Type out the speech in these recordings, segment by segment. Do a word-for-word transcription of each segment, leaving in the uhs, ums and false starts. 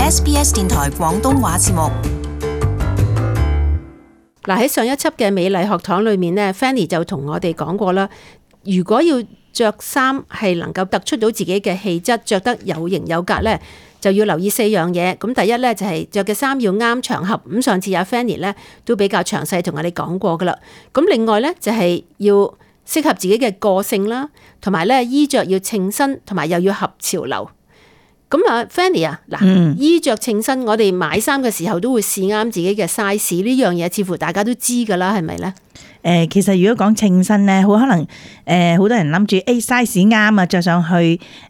S B S 電台廣東話節目。嗱，喺上一輯嘅美麗學堂裏面呢 Fanny 就同我哋講過啦，如果要着衫係能夠突出到自己嘅氣質，着得有型有格呢，就要留意四樣嘢。咁第一呢，就係着嘅衫要啱場合。咁上次阿 Fanny 呢都比較詳細同我哋講過噶啦。咁另外呢，就係要適合自己嘅個性啦，同埋咧衣着要稱身，同埋又要合潮流。咁啊 Fanny 啊，嗱、嗯，衣着稱身，我哋買衫嘅時候都會試啱自己嘅 size， 呢樣嘢似乎大家都知噶啦，係咪咧？誒，其實如果講稱身咧，好可能誒，好多人諗住誒 size 啱啊，着上去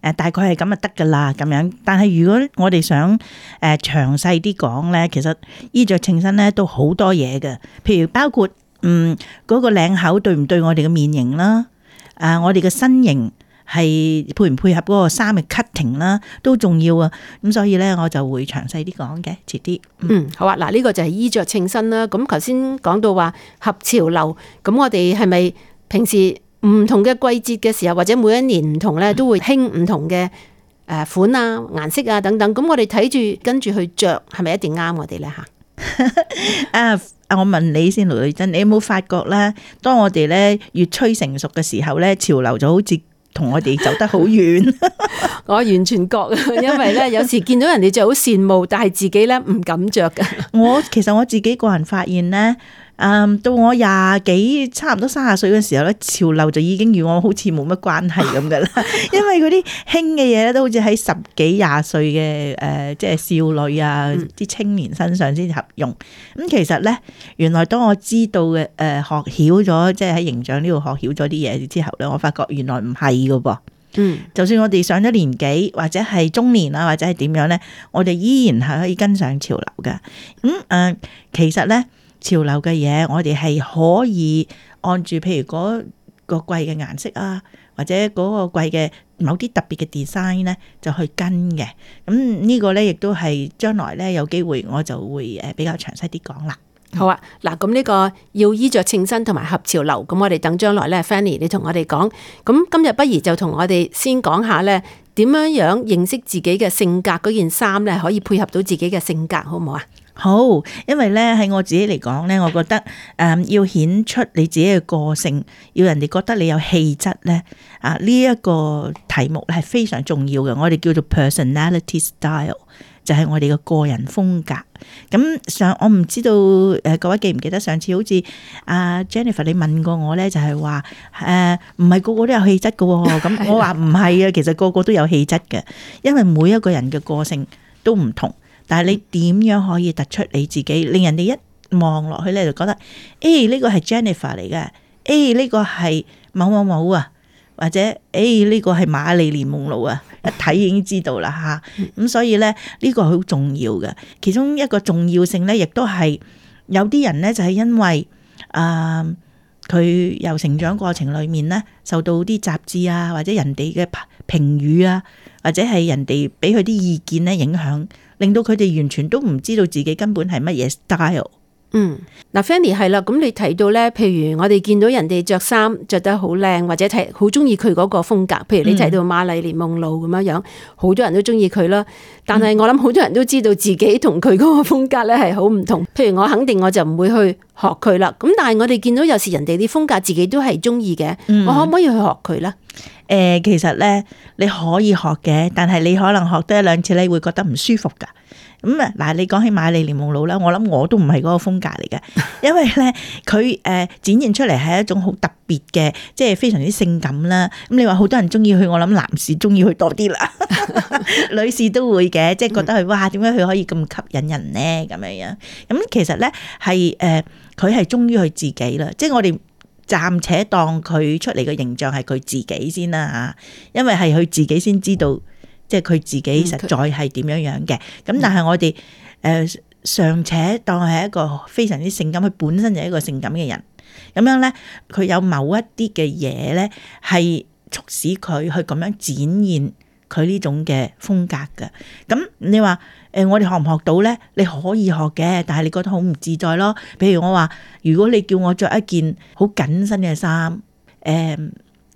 誒大概係咁就得噶啦咁樣。但係如果我哋想誒詳細啲講咧，其實衣着稱身咧都好多嘢嘅，譬如包括嗯嗰個領口對唔對我哋嘅面型啦，啊我哋嘅身形係配唔配合嗰個衫嘅 cutting 啦，都重要啊。咁所以咧，我就會詳細啲講嘅，遲啲。嗯，嗯好啊。嗱，呢個就係衣着稱身啦。咁頭先講到話合潮流，咁我哋係咪平時唔同嘅季節嘅時候，或者每一年唔同咧，都會興唔同嘅誒款啊、顏色啊等等。咁我哋睇住跟住去着，係咪一定啱我哋咧吓？啊！我問你先，盧女珍，你有冇發覺咧？當我哋咧越趨成熟嘅時候咧，潮流就好似同我哋走得好遠。我完全覺啊，因為咧有時見到人哋着好羨慕，但係自己咧唔敢着噶。我其實我自己個人發現咧，嗯，到我廿幾差唔多三十歲嘅時候咧，潮流就已經與我好似冇乜關係咁噶啦。因為嗰啲興嘅嘢咧，都好似喺十幾廿歲嘅誒，即係少女啊，啲青年身上先合用。咁、嗯、其實咧，原來當我知道嘅誒、呃、學曉咗，即係喺形象呢度學曉咗啲嘢之後咧，我發覺原來唔係噶噃。嗯，就算我哋上咗年紀或者係中年啊，或者係點樣咧，我哋依然係可以跟上潮流嘅。咁、嗯、誒、呃，其實咧。潮流嘅嘢，我哋係可以按住譬如嗰個季嘅顏色啊，或者嗰個季嘅某啲特別嘅 design 咧，就去跟嘅。咁呢個咧，亦都係將來咧有機會，我就會誒比較詳細啲講啦。好啊，嗱，咁呢個要衣着稱身同埋合潮流，咁我哋等將來咧 Fanny 你同我哋講。咁今日不如就同我哋先講下咧，點樣樣認識自己嘅性格，嗰件衫咧可以配合到自己嘅性格，好唔好啊？好，因為咧喺我自己嚟講咧，我覺得誒、嗯、要顯出你自己嘅個性，要人哋覺得你有氣質咧，啊呢一、這個題目係非常重要嘅。我哋叫做 personality style， 就係我哋嘅個人風格。咁上我唔知道誒各位記唔記得上次好似阿 Jennifer 你問過我咧，就係話誒唔係個個都有氣質嘅，咁我話唔係啊，其實個個都有氣質嘅，因為每一個人嘅個性都唔同。但係你點樣可以突出你自己，令人哋一望落去咧就覺得，誒呢個係 Jennifer 嚟嘅，誒呢個係某某某啊，或者誒呢個係瑪麗蓮夢露啊，一睇已經知道啦吓。咁、嗯、所以咧呢個好重要嘅，其中一個重要性咧，亦都係有啲人咧就係因為啊佢由成長過程裏面咧受到啲雜誌啊或者人哋嘅評語啊，或者係人哋俾佢啲意見咧影響。令到佢哋完全都唔知道自己根本係乜嘢 style。嗯，嗱 Fanny 係啦，咁你提到咧，譬如我哋見到人哋着衫着得好靚，或者睇好中意佢嗰個風格，譬如你提到瑪麗蓮夢露咁樣樣，好多人都中意佢啦。但係我諗好多人都知道自己同佢嗰個風格咧係好唔同。譬如我肯定我就唔會去學佢啦。咁但係我哋見到有時人哋啲風格自己都係中意嘅，我可唔可以去學佢咧？誒、呃，其實咧你可以學嘅，但係你可能學得一兩次你會覺得唔舒服噶。咁啊，嗱，你講起瑪麗蓮夢露啦，我諗我都唔係嗰個風格嚟嘅，因為咧佢誒展現出嚟係一種好特別嘅，即係非常之性感啦。咁你話好多人中意佢，我諗男士中意佢多啲啦，女士都會嘅，即係覺得佢哇，點解佢可以咁吸引人咧？咁樣樣，咁其實咧係誒，佢係忠於佢自己啦，即係我哋暫且當佢出嚟嘅形象係佢自己先啦吓，因為係佢自己先知道。即係佢自己實在係點樣樣嘅，咁、嗯、但係我哋誒尚且當係一個非常之性感，佢本身就係一個性感嘅人，咁樣咧，佢有某一啲嘅嘢咧係促使佢去咁樣展現佢呢種嘅風格嘅。咁你話誒、呃，我哋學唔學到咧？你可以學嘅，但係你覺得好唔自在咯。譬如我話，如果你叫我着一件好緊身嘅衫，誒、呃。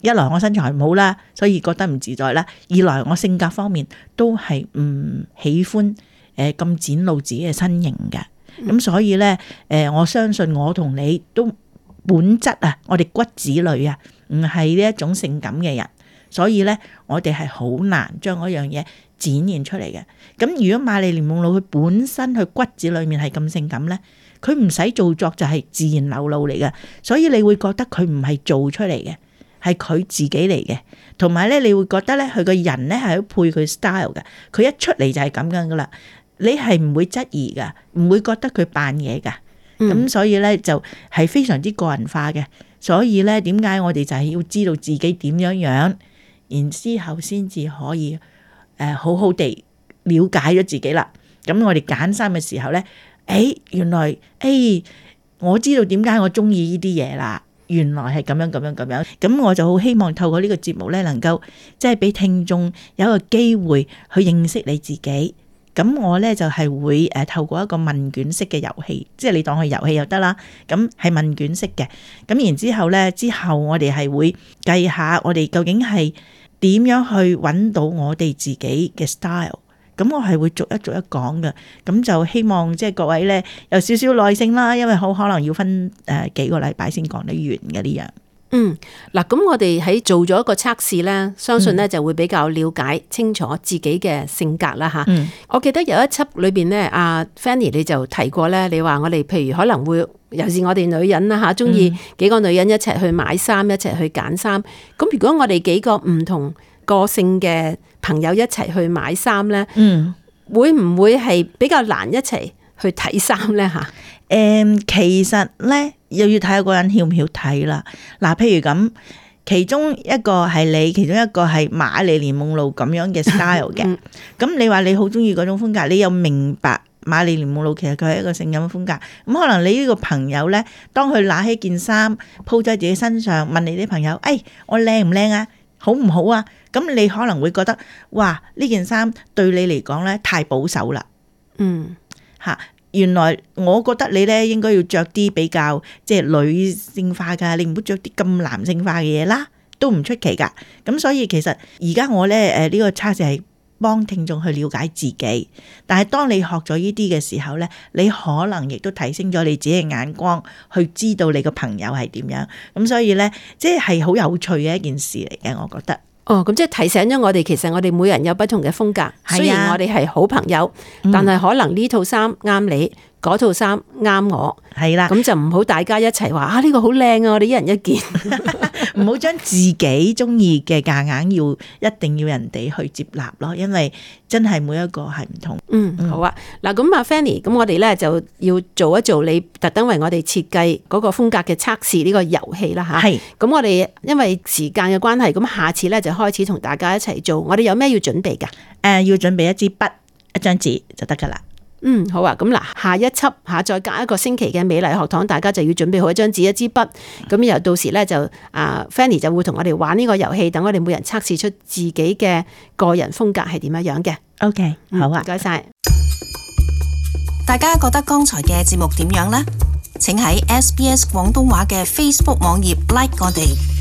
一來我身材唔好啦，所以覺得唔自在啦；二來我性格方面都係唔喜歡誒咁展露自己嘅身形嘅。咁所以咧誒，我相信我同你都本質啊，我哋骨子裏啊，唔係呢一種性感嘅人，所以咧我哋係好難將嗰樣嘢展現出嚟嘅。咁如果瑪麗蓮夢露佢本身佢骨子裏面係咁性感咧，佢唔使做作就係自然流露嚟嘅，所以你會覺得佢唔係做出嚟嘅，係佢自己嚟嘅。同埋咧，你會覺得咧佢個人咧係配佢 style 嘅，佢一出嚟就係咁樣噶啦。你係唔會質疑噶，唔會覺得佢扮嘢噶，咁、嗯、所以咧就係非常之個人化嘅。所以咧，點解我哋就係要知道自己點樣樣，然之後先至可以誒、呃、好好地了解咗自己啦。咁我哋揀衫嘅時候咧，誒、哎、原來誒、哎、我知道點解我中意呢啲嘢啦。原來係咁樣咁樣咁樣，咁我就好希望透過呢個節目咧，能夠即係俾聽眾有一個機會去認識你自己。咁我咧就係會誒透過一個問卷式嘅遊戲，即係你當佢遊戲又得啦。咁係問卷式嘅，咁然之後咧，之後我哋係會計下我哋究竟係點樣去揾到我哋自己嘅 style。咁我係會逐一逐一講嘅，咁就希望即係各位咧有少少耐性啦，因為好可能要分誒幾個禮拜先講得完嘅呢樣。嗯，嗱，咁我哋喺做咗一個測試咧，相信咧就會比較了解清楚自己嘅性格啦吓。嗯、我記得有一輯裏邊咧，阿 Fanny 你就提過咧，你話我哋譬如可能會，尤其是我哋女人啦吓，中意幾個女人一齊去買衫，一齊去揀衫。咁如果我哋幾個唔同個性嘅朋友一齊去買衫咧，嗯，會唔會係比較難一齊去睇衫咧吓？誒、嗯，其實咧。又要睇下個人曉唔曉睇啦。嗱，譬如咁，其中一個係你，其中一個係瑪麗蓮夢露咁樣嘅 style 嘅。咁你話你好中意嗰種風格，你又明白瑪麗蓮夢露其實佢係一個性感嘅風格。咁可能你呢個朋友咧，當佢拿起件衫鋪喺自己身上，問你啲朋友：誒，我靚唔靚啊？好唔好啊？咁你可能會覺得，哇！呢件衫對你嚟講咧太保守啦。嗯，嚇。原來我覺得你咧應該要着啲比較即係女性化噶，你唔好着啲咁男性化嘅嘢啦，都唔出奇噶。咁所以其實而家我咧誒呢個測試係幫聽眾去了解自己，但係當你學咗呢啲嘅時候咧，你可能亦都提升咗你自己嘅眼光，去知道你個朋友係點樣。咁所以咧，即係好有趣嘅一件事嚟嘅，我覺得。哦，咁即係提醒咗我哋，其實我哋每人有不同嘅風格，雖然我哋係好朋友，嗯、但係可能呢套衫啱你，嗰套衫啱我，係啦，咁就唔好大家一齊話啊呢、呢個好靚啊，我哋一人一件，唔好將自己中意嘅夾硬要一定要人哋去接納咯，因為真係每一個係唔同。嗯，好啊，嗱咁阿 Fanny，咁我哋咧就要做一做你特登為我哋設計嗰個風格嘅測試呢個遊戲啦吓。係，咁我哋因為時間嘅關係，咁下次咧就開始同大家一齊做。我哋有咩要準備噶？誒、呃，要準備一支筆、一張紙就得噶啦。嗯，好啊，咁嗱，下一輯下再隔一個星期嘅美麗學堂，大家就要準備好一張紙、一支筆，咁然後到時咧就啊 Fanny 就會同我哋玩呢個遊戲，等我哋每人測試出自己嘅個人風格係點樣樣嘅。OK，好啊，唔該晒。大家覺得剛才嘅節目點樣呢？請喺 S B S 廣東話嘅 Facebook 網頁 like 我哋。